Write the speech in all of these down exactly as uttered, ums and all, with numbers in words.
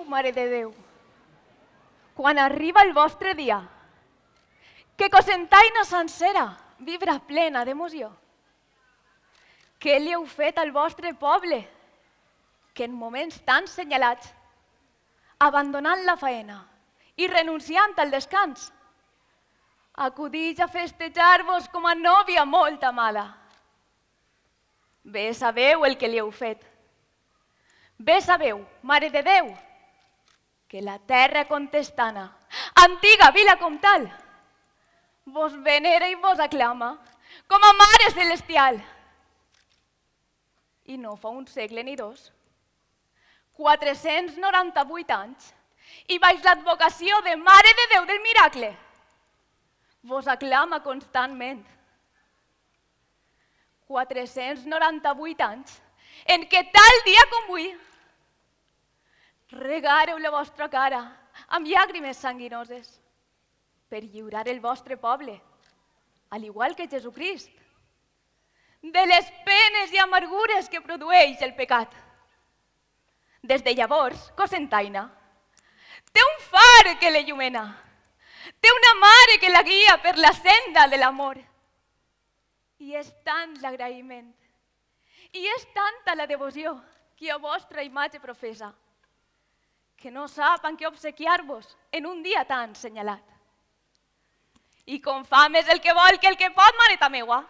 Mare de Déu, quan arriba el vostre dia, que Cocentaina sencera vibra plena d'emoció. Què li heu fet al vostre poble, que en moments tan senyalats, abandonant la faena i renunciant al descans, acudix a festejar-vos com a nòvia molt amada. Bé sabeu el que li heu fet. Bé sabeu, Mare de Déu, que la terra contestana, antiga vila comtal, vos venera i vos aclama com a Mare Celestial. I no fa un segle ni dos, quatre-cents noranta-vuit anys, i baix l'advocació de Mare de Déu del Miracle, vos aclama constantment. quatre-cents noranta-vuit anys en què tal dia com avui regareu la vostra cara amb llàgrimes sanguinoses per lliurar el vostre poble, al igual que Jesucrist, de les penes i amargures que produeix el pecat. Des de llavors, Cocentaina té un far que l'illumina, té una mare que la guia per la senda de l'amor. I és tant l'agraïment, i és tanta la devoció que a vostra imatge professa, que no sap en què obsequiar-vos en un dia tan senyalat. I com fa més el que vol que el que pot, mareta meua,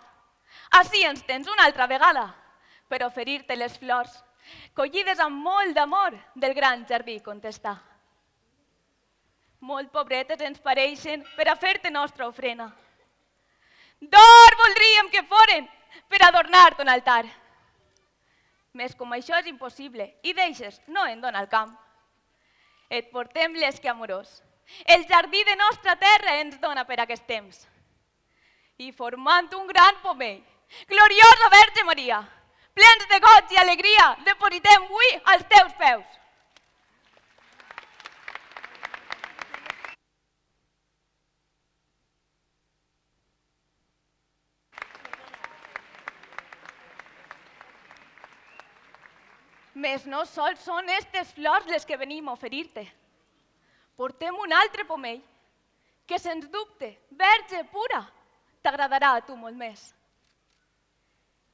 ací ens tens una altra vegada per oferir-te les flors, collides amb molt d'amor del gran jardí contestar. Molt pobretes ens pareixen per a fer-te nostra ofrena. D'or voldríem que foren per adornar ton altar. Més com això és impossible i deixes no en dona el camp. Et portem l'esque amorós. El jardí de nostra terra ens dona per aquest temps. I formant un gran pomell, gloriosa Verge Maria, plens de goig i alegria, depositem avui als teus peus. Més no sols són estes flors les que venim a oferir-te. Portem un altre pomell que, sens dubte, verge pura, t'agradarà a tu molt més.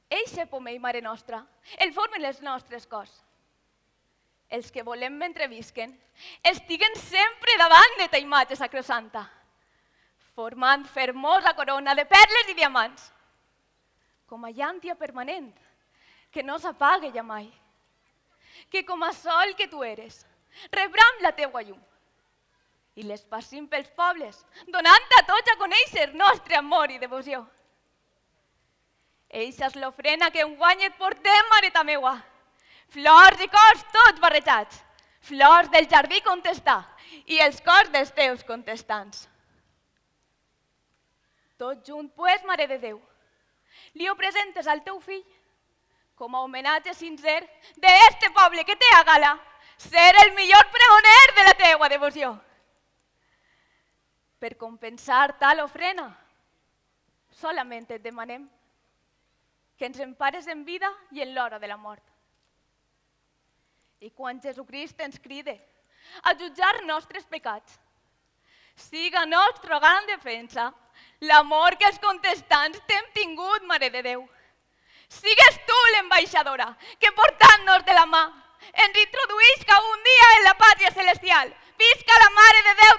Eixe pomell, Mare nostra, el formen els nostres cors. Els que volem mentre visquen, estiguen sempre davant de ta imatge sacrosanta, formant fermosa corona de perles i diamants, com a llàntia permanent, que no s'apague ja mai. Que com a sol que tu eres, rebram la teua llum i l'esparcim pels pobles, donant a tots a conèixer nostre amor i devoció. Eixa és l'ofrena que enguany et portem, mareta meua. Flors i cors tots barrejats, flors del jardí contestar i els cors dels teus contestants. Tot junt, pues, Mare de Déu, li ho presentes al teu fill com a homenatge sincer d'este poble que té a gala ser el millor pregoner de la teua devoció. Per compensar tal ofrena, solament et demanem que ens empares en vida i en l'hora de la mort. I quan Jesucrist ens cride a jutjar nostres pecats, siga nostra gran defensa l'amor que els contestants t'hem tingut, Mare de Déu. Sigues tu l'ambaixadora que, portant-nos de la mà, ens introduïsca un dia en la pàtria celestial. Visca la Mare de Déu